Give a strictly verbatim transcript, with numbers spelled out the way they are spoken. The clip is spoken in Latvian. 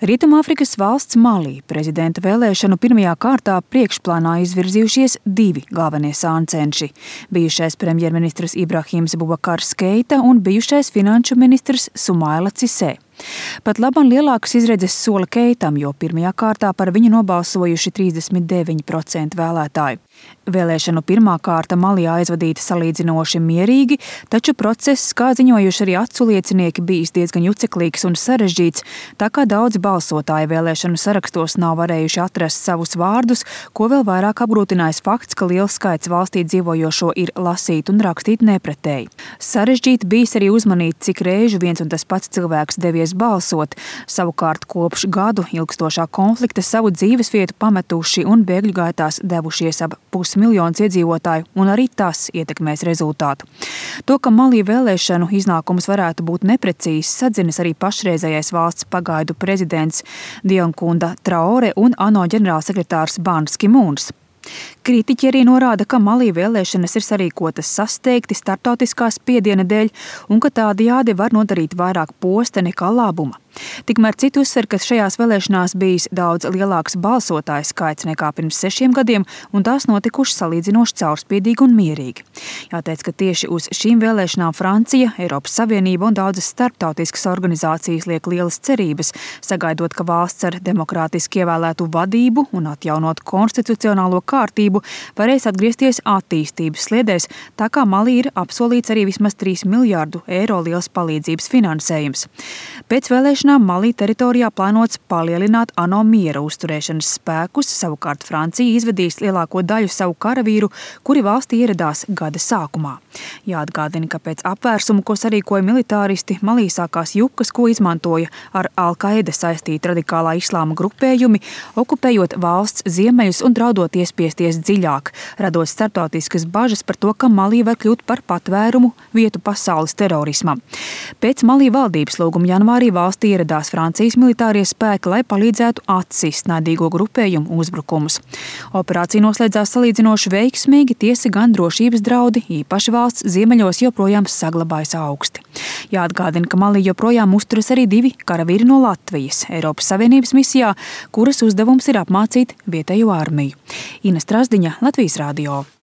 Rietumāfrikas valsts Malī prezidenta vēlēšanu pirmajā kārtā priekšplānā izvirzījušies divi galvenie sāncenši – bijušais premjerministrs Ibrahims Bubakars Keita un bijušais finanšu ministrs Sumaila Cisē. Pat labam lielākas izredzes sola Keitam, jo pirmajā kārtā par viņu nobalsojuši trīsdesmit deviņi procenti vēlētāju. Vēlēšanu pirmā kārta Malī aizvadīta salīdzinoši mierīgi, taču process, kā ziņojuši arī acu liecinieki, bijis diezgan juceklīgs un sarežģīts, tā kā daudzi balsotāji vēlēšanu sarakstos nav varējuši atrast savus vārdus, ko vēl vairāk apgrūtinājis fakts, ka liels skaits valstī dzīvojošo ir lasīt un rakstīt nepretēji. Sarežģīti bijis arī uzmanīt, cik reižu viens un tas pats cilvēks devies balsot. Savukārt kopš gadu ilgstošā konflikta savu dzīvesvietu pametuši un bēgļu gaitās devušies ap pusmiljons iedzīvotāju, un arī tas ietekmēs rezultātu. To, ka Malī vēlēšanu iznākums varētu būt neprecīzs, sadzinis arī pašreizējais valsts pagaidu prezidents Dionkunda Traore un ANO ģenerālsekretārs Bans Ki-mūns. Kritiķi arī norāda, ka Malī vēlēšanas ir sarīkotas sasteigti starptautiskā spiediena dēļ un ka tādējādi var nodarīt vairāk posta nekā labuma. Tikmēr citi uzsver, ka šajās vēlēšanās bijis daudz lielāks balsotāju skaits nekā pirms sešiem gadiem, un tās notikušas salīdzinoši caurspīdīgi un mierīgi. Jāteic, ka tieši uz šīm vēlēšanām Francija, Eiropas Savienība un daudzas starptautiskas organizācijas liek lielas cerības, sagaidot, ka valsts ar demokrātiski ievēlētu vadību un atjaunot konstitucionālo kārtību varēs atgriezties attīstības sliedēs, tā kā Malī ir apsolīts arī vismaz trīs miljārdu eiro liels palīdzības finansējums. Pēc vēlēšanām Malī teritorijā plānots palielināt ANO miera uzturēšanas spēkus, savukārt Francija izvedīs lielāko daļu savu karavīru, kuri valstī ieradās gada sākumā. Jāatgādina, ka pēc apvērsumu, ko sarīkoja militāristi, Malī sākās jukas, ko izmantoja ar Al-Qaida saistīti radikālā islāma grupējumi, okupējot valsts ziemeļus un draudot iespiesties dziļāk, radot starptautiskas bažas par to, ka Malī var kļūt par patvērumu vietu pasaules terorismam. Pēc Malī valdības lūguma janvārī valstī ieradās Francijas militārie spēki, lai palīdzētu atsist naidīgo grupējumu uzbrukumus. Operācija noslēdzās salīdzinoši veiksmīgi, tiesa gan drošības draudi, īpaši valsts ziemeļos, joprojām saglabājas augsti. Jāatgādina, ka Malī joprojām uzturas arī divi karavīri no Latvijas Eiropas Savienības misijā, kuras uzdevums ir apmācīt vietējo armiju. Ina Strasdiņa, Latvijas radio.